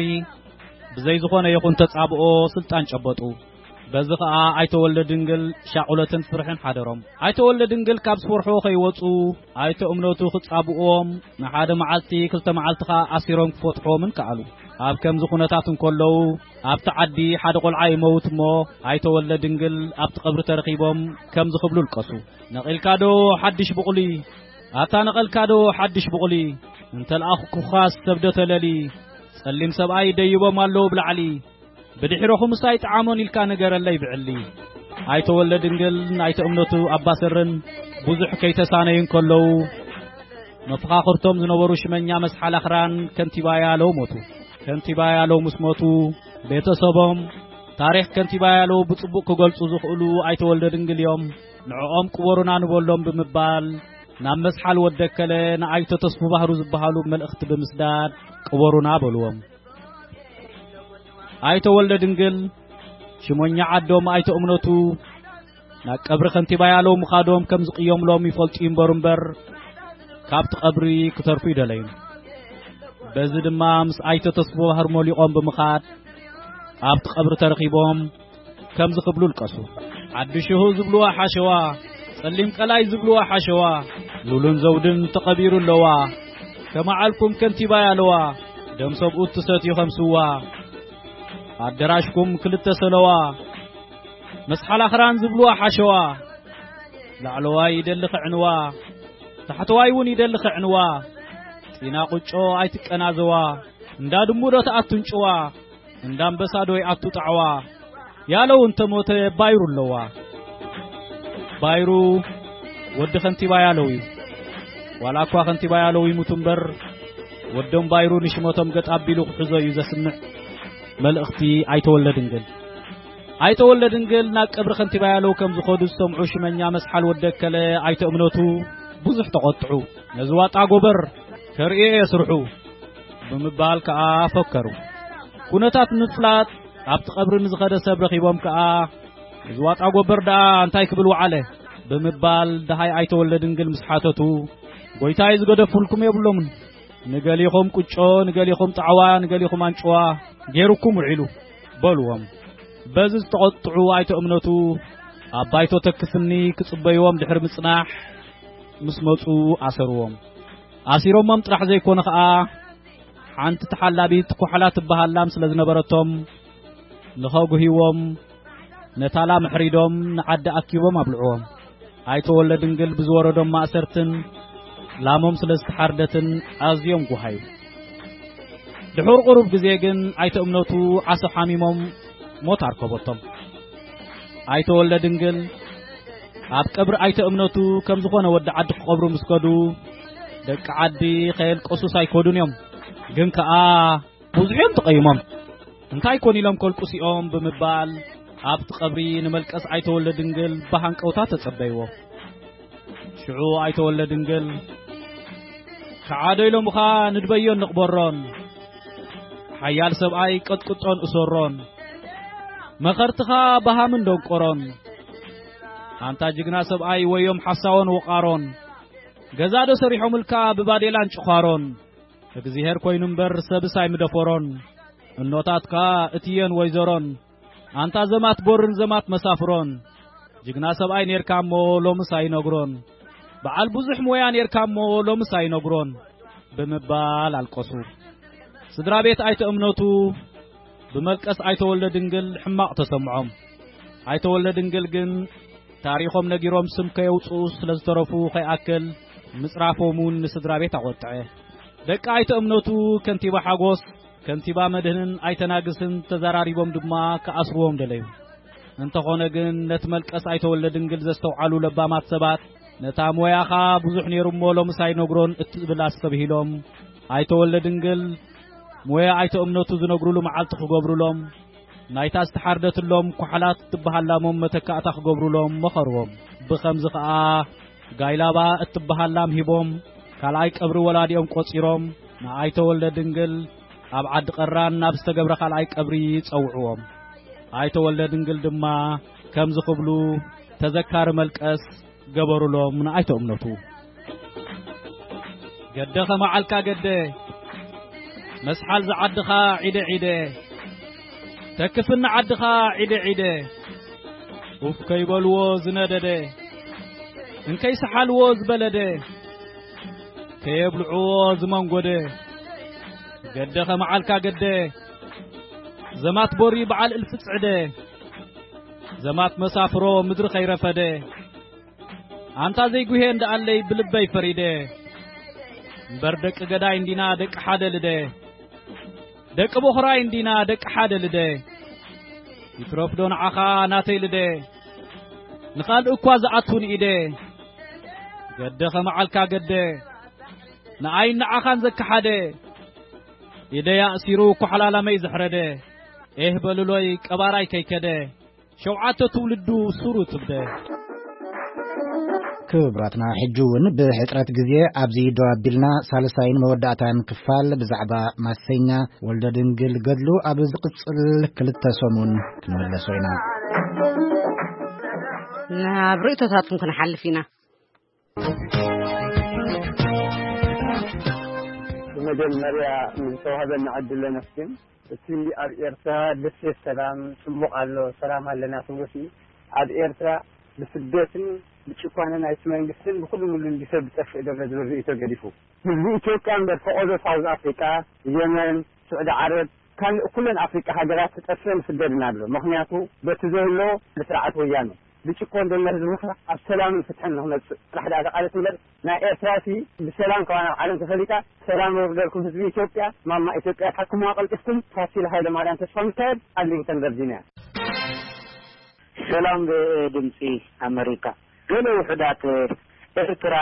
ብዘይ ዝኾነ ይኹን ተጻብኦ ስልጣን ጨበጡ። በዚ ኸኣ ኣይተ ወልደ ድንግል ሻቑለትን ፍርሕን ሓደሮም። ኣይተ ወልደ ድንግል ካብ ዝፈርሖ ከይወጹ ኣይተ እምነቱ ክጻብእዎም ንሓደ መዓልቲ ክልተ መዓልቲ ኸኣ ኣሲሮም ክፈትሖምን ከኣሉ። ኣብ ከምዚ ኩነታት እንከለዉ ኣብቲ ዓዲ ሓደ ቆልዓ ይመውት እሞ ኣይተ ወልደ ድንግል ኣብቲ ቀብሪ ተረኺቦም ከምዚ ክብሉ ልቀሱ። ነቒልካ ዶ ሓድሽ ብቑሊ? ኣታ ነቐልካ ዶ ሓድሽ ብቑሊ? እንተልኣኹኩኻስ ሰብ ዶ ተለሊ? ጸሊም ሰብኣይ ደይቦም ኣለዉ ብላዕሊ። ብድሕረኹምስ ኣይጠዓሞን ኢልካ ንገረለይ ብዕሊ። ኣይተ ወልደ ድንግል ናይተ እምነቱ ኣባሰርን ብዙሕ ከይተሳነዩ እንከለዉ መፈኻኽርቶም ዝነበሩ ሽመኛ መስሓል ኣኽራን ከንቲባ ያለው ሞቱ። ከንቲባ ያለው ምስ ሞቱ ቤተሰቦም ታሪኽ ከንቲባ ያለው ብጽቡቕ ክገልጹ ዝኽእሉ ኣይተ ወልደ ድንግል እዮም። ንዕኦም ቅበሩና ንበሎም ብምባል ናብ መስሓል ወደከለ ንኣይተ ተስፉ ባህሩ ዝበሃሉ መልእኽቲ ብምስዳድ ቅበሩና በልዎም። ኣይተ ወልደ ድንግል ሽሞኛ ዓዶም ኣይተ እምነቱ ናብ ቀብሪ ከንቲባ ያለው ምኻዶም ከም ዝቕየምሎም ይፈልጡ ይንበሩ እምበር ካብቲ ቀብሪ ክተርፉ ይደለዩን። በዚ ድማ ምስ ኣይተ ተስፉ ባህር ሞሊቖም ብምኻድ ኣብቲ ቀብሪ ተረኺቦም ከምዚ ክብሉ ልቀሱ። ሓድሽሁ ዝብልዋ ሓሸዋ፣ ጸሊም ቀላይ ዝብልዋ ሓሸዋ፣ ሉልን ዘውድን ተቐቢሩ ኣለዋ። ከመዓልኩም ከንቲባ ያለዋ፣ ደም ሰብኡት ትሰትዩ ከም ስዋ። ኣደራሽኩም ክልተ ሰለዋ፣ መስሓል ኣኽራን ዝብልዋ ሓሸዋ፣ ላዕለዋይ ይደሊ ክዕንዋ፣ ታሕተዋይ እውን ይደሊ ክዕንዋ። ጢና ቁጮ ኣይትቀናዘዋ፣ እንዳ ድሙ ዶ ትኣቱ እንጭዋ፣ እንዳ ኣንበሳ ዶ ይኣቱ ጣዕዋ። ያለው እንተ ሞተ ባይሩ ኣለዋ። ባይሩ ወዲ ከንቲባ ያለው እዩ። ዋላ እኳ ከንቲባ ያለው ይሙቱ እምበር ወዶም ባይሩ ንሽመቶም ገጥ ኣቢሉ ክሕዞ እዩ ዘስምዕ መልእኽቲ ኣይተ ወልደ ድንግል። ኣይተ ወልደ ድንግል ናብ ቀብሪ ከንቲባ ያለው ከም ዝኸዱ ዝሰምዑ ሽመኛ መስሓል ወደከለ ኣይተ እምነቱ ብዙሕ ተቖጥዑ። ነዚ ዋጣ ጎበር ከርእዮ እየ ስርሑ ብምባል ከኣ ፈከሩ። ኩነታት ምፍላጥ ኣብቲ ቀብሪ ንዝኸደ ሰብ ረኺቦም ከኣ እዚ ዋጣ ጎበር ደኣ እንታይ ክብል ወዓለ ብምባል ደሃይ ኣይተ ወልደ ድንግል ምስ ሓተቱ፣ ጎይታይ ዝገደፉልኩም የብሎምን። ንገሊኹም ቁጮ፣ ንገሊኹም ጣዕዋ፣ ንገሊኹም ኣንጭዋ ገይሩኩም ውዒሉ በልዎም። በዚ ዝተቖጥዑ ኣይተ እምነቱ ኣብ ባይቶ ተክስኒ ክጽበይዎም ድሕሪ ምጽናሕ ምስ መጹ ኣሰርዎም። ኣሲሮሞም ጥራሕ ዘይኮነ ኸኣ ሓንቲ ተሓላቢት ኮሕላ ትበሃል ላም ስለ ዝነበረቶም ንኸጉህይዎም ነታ ላም ኣሕሪዶም ንዓዲ ኣኪቦም ኣብልዕዎም። ኣይተ ወልደ ድንግል ብዝወረዶም ማእሰርትን ላሞም ስለ ዝተሓርደትን ኣዝዮም ጉሃዩ። ድሑር ቁሩብ ግዜ ግን ኣይተ እምነቱ ዓሶ ሓሚሞም ሞት ኣርከበቶም። ኣይተ ወልደ ድንግል ኣብ ቀብሪ ኣይተ እምነቱ ከም ዝኾነ ወዲ ዓዲ ክቐብሩ ምስ ከዱ ደቂ ዓዲ ከየልቀሱስ ኣይከዱን እዮም። ግን ከኣ ብዙሕ እዮም ተቐይሞም። እንታይ ኮን ኢሎም ከልቅሱ እዮም ብምባል ኣብቲ ቀብሪ ንመልቀስ ኣይተወልደ ድንግል ብሃንቀውታ ተጸበይዎ። ሽዑ ኣይተወልደ ድንግል፣ "ከዓዶ ኢሎምኻ ንድበዮን ንቕበሮን፣ ሓያል ሰብኣይ ቀጥቅጦን እሰሮን፣ መኸርትኻ በሃምን ደንቆሮን፣ ኣንታ ጅግና ሰብኣይ ወዮም ሓሳዎን ወቓሮን፣ ገዛ ዶ ሰሪሖምልካ ብባዴላን ጭዃሮን፣ እግዚኣብሔር ኮይኑ እምበር ሰብስ ኣይምደፈሮን፣ እኖታትካ እትየን ወይዘሮን፣ ኣንታ ዘማት ቦርን ዘማት መሳፍሮን፣ ጅግና ሰብኣይ ኔርካ እሞ ሎምስ ኣይነግሮን፣ በዓል ብዙሕ ሞያ ኔርካ እሞ ሎምስ ኣይነግሮን" ብምባል ኣልቀሱ። ስድራ ቤት ኣይተ እምነቱ ብመልቀስ ኣይተወልደ ድንግል ሕማቕ ተሰምዖም። ኣይተወልደ ድንግል ግን ታሪኾም ነጊሮም ስም ከየውፅኡ ስለ ዝተረፉ ከይኣክል ምጽራፎም እውን ንስድራ ቤት ኣቖጥዐ። ደቂ ኣይተ እምነቱ ከንቲባ ሓጎስ፣ ከንቲባ መድህንን ኣይተናግስን ተዘራሪቦም ድማ ክኣስርዎም ደለዩ። እንተኾነ ግን ነቲ መልቀስ ኣይተወልደ ድንግል ዘስተውዓሉ ለባማት ሰባት፣ "ነታ ሞያኻ ብዙሕ ነይሩ እሞ ሎምስ ኣይነግሮን" እትብል ኣስተብሂሎም፣ ኣይተወልደ ድንግል ሞያ ኣይተ እምነቱ ዝነግሩሉ መዓልቲ ክገብሩሎም፣ ናይታ ዝተሓርደትሎም ኳሕላት እትበሃላሞም መተካእታ ክገብሩሎም መኸርዎም። ብኸምዚ ኸኣ ጋይላባ እትበሃል ላም ሂቦም፣ ካልኣይ ቀብሪ ወላዲኦም ቆጺሮም፣ ንኣይተወልደ ድንግል ኣብ ዓዲ ቀራን ናብ ዝተገብረ ካልኣይ ቀብሪ ጸውዕዎም። ኣይተወልደ ድንግል ድማ ከምዚ ክብሉ ተዘካሪ መልቀስ ገበሩሎም ንኣይተ እምነቱ። "ገደ ኸመዓልካ ገደ፣ መስሓል ዝዓድኻ ዒደ ዒደ፣ ተክፍኒ ዓድኻ ዒደ ዒደ፣ ኡፍ ከይበልዎ ዝነደደ፣ እንከይሰሓልዎ ዝበለደ፣ ከየብልዕዎ ዝመንጎደ፣ ገደ ኸመዓልካ ገደ፣ ዘማት ቦሪ በዓል እልፊ ጽዕደ፣ ዘማት መሳፍሮ ምድሪ ከይረፈደ፣ ኣንታ ዘይጉሄ እንድኣለይ ብልበይ ፈሪደ፣ እምበር ደቂ ገዳይ እንዲና ደቂ ሓደ ልደ፣ ደቂ ቦኽራይ እንዲና ደቂ ሓደ ልደ፣ ይትረፍዶ ንዓኻ ናተይ ልደ፣ ንኻልእ እኳ ዝኣቱ ንኢደ፣ ገደ ኸመዓልካ ገደ፣ ንኣይን ንዓኻን ዘከሓደ፣ ኢደይ ኣእሲሩ ኳሕላላመይ ዘሕረደ፣ ኤህ በልሎይ ቀባራይ ከይከደ፣ ሸውዓተ ትውልዱ ሱሩ ትብደ። ክቡራትና፣ ሕጂ እውን ብሕጽረት ግዜ ኣብዚ ደው ኣቢልና ሳልሳይን መወዳእታን ክፋል ብዛዕባ ማሰኛ ወልደ ድንግል ገድሉ ኣብ ዝቕጽል ክልተ ሰሙን ክንምለሶ ኢና። ናብ ርእይቶታትኩም ክንሓልፍ ኢና። ብመጀመርያ ንዝተዋህበና ዕድል ነመስግን። እቲ ኣብ ኤርትራ ደሴት ሰላም ጽቡቕ ኣሎ፣ ሰላም ኣለና ትብሎ ሲ፣ ኣብ ኤርትራ ብስደትን ብጭኳነ ናይቲ መንግስትን ብኹሉ ምሉን ብሰብ ዝጠፍእ ዘሎ ዝብል ርእይቶ ገዲፉ፣ ህዝቢ ኢትዮጵያ እምበር ፈቐዶ ሳውዝ ኣፍሪቃ፣ የመን፣ ስዑዲ ዓረብ፣ ካልእ ኩለን ኣፍሪቃ ሃገራት ተጠፍእን ይስደድን ኣሎ። ምኽንያቱ በቲ ዘሎ ብስርዓት ወያነ ብጭቆን ዘሎ ህዝቢ ኣብ ሰላምን ፍትሕን ንኽመጽእ ጥራሕ ደኣ ተቓለስ እምበር፣ ናይ ኤርትራ ሲ ብሰላም ከማን ኣብ ዓለም ተፈሊጣ። ሰላም የውርደልኩም ህዝቢ ኢትዮጵያ። ማማ ኢትዮጵያ ተሓክሙዋ ቀልጢፍኩም። ፋሲል ሃይለማርያም ተስፋሚካኤል፣ ኣርሊንግተን ቨርጂንያ። ሰላም ድምፂ ኣመሪካ። ገለ ውሑዳት ኤርትራ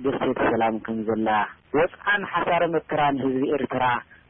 ደሴት ሰላም ከም ዘላ፣ ወፅዓን ሓሳረ መከራን ህዝቢ ኤርትራ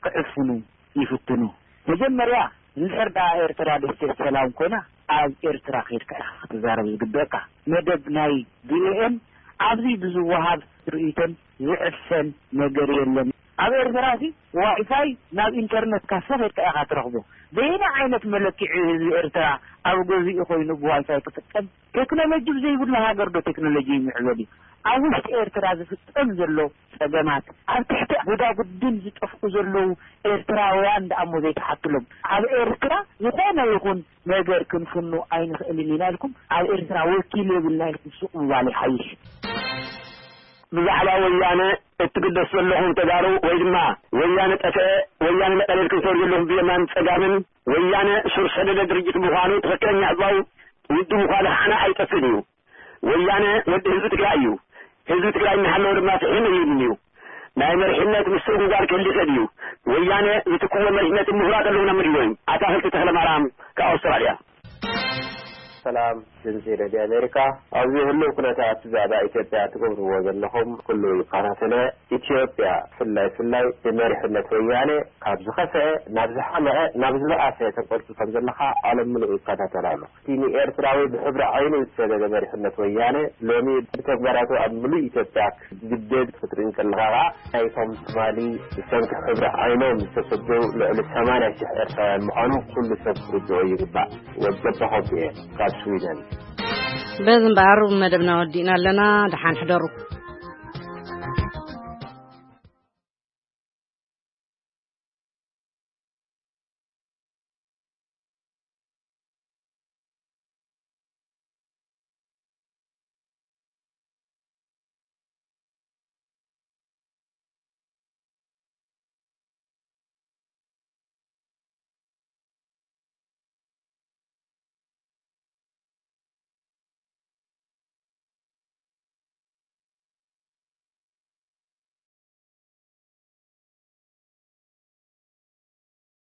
ክዕፍኑ ይፍትኑ። መጀመርያ፣ እንድሕር ደኣ ኤርትራ ደሴት ሰላም ኮይና፣ ኣብ ኤርትራ ከይድካ ኢኻ ክትዛረብ ዝግበእካ። መደብ ናይ ቪኦኤን ኣብዚ ብዝወሃብ ርእይቶን ዝዕፈን ነገር የለን። ኣብ ኤርትራ ሲ ዋይፋይ ናብ ኢንተርነት ካፈ ከይድካ ኢኻ ትረኽቦ። በየናይ ዓይነት መለክዒ ህዝቢ ኤርትራ ኣብ ገዝኡ ኮይኑ ብዋይፋይ ክጥቀም? ቴክኖሎጂ ብዘይብሉ ሃገር ዶ ቴክኖሎጂ ይምዕበል እዩ? ኣብ ውሽጢ ኤርትራ ዝፍጸም ዘሎ ጸገማት፣ ኣብ ትሕቲ ጉዳጉድን ዝጠፍኡ ዘለዉ ኤርትራውያን ደኣ እሞ ዘይተሓትሎም። ኣብ ኤርትራ ዝኾነ ይኹን ነገር ክንፍኑ ኣይንኽእልን ኢና ኢልኩም፣ ኣብ ኤርትራ ወኪል የብልና ኢልኩም ሱቕ ምባል ይሓይሽ። ብዛዕባ ወያነ እትግደሱ ዘለኹም ተጋሩ፣ ወይ ድማ ወያነ ጠፍአ፣ ወያነ ነቐለ ኢልኩም ትሰሩ ዘለኹም ብየማን ጸጋምን፣ ወያነ ሱር ሰደደ ድርጅት ምዃኑ ትኽክለኛ ህዝባዊ ውድብ ምዃኑ ከዓና ኣይጠፍእን እዩ። ወያነ ወዲ ህዝቢ ትግራይ እዩ። ህዝቢ ትግራይ እናሃለወ ድማ ፍትሒ የብሉን እዩ። ናይ መሪሕነት ምስግጋር ክህሉ ይኽእል እዩ። ወያነ ዝትክዎ መሪሕነትን ምሁራት ኣለዉና ምድዎም። ኣታኽልቲ ተኽለማርያም ካብ ኣውስትራልያ። ሰላም። ድምፂ ሬድዮ ኣሜሪካ። ኣብዚ ህሉው ኩነታት ብዛዕባ ኢትዮጵያ ትገብርዎ ዘለኹም ኩሉ ይከታተለ። ኢትዮጵያ ፍላይ ፍላይ ብመሪሕነት ወያነ ካብ ዝኸፍአ ናብ ዝሓመቐ ናብ ዝበኣሰ ተንቆልቁል ከም ዘለኻ ዓለም ምሉእ ይከታተል ኣሎ። እቲ ንኤርትራዊ ብሕብሪ ዓይኑ ዝሰደደ መሪሕነት ወያነ ሎሚ ብተግባራቱ ኣብ ምሉእ ኢትዮጵያ ክግደድ ክትርኢ እንከለኻ ከዓ ናይቶም ትማሊ ብሰንኪ ሕብሪ ዓይኖም ዝተሰደው ልዕሊ ሰማንያ ሽሕ ኤርትራውያን ምዃኑ ኩሉ ሰብ ክርድኦ ይግባእ። ወዲ ኣባኾም እየ ካብ ስዊደን። በዚ እምበኣር መደብና ወዲእና ኣለና። ደሓን ሕደሩ።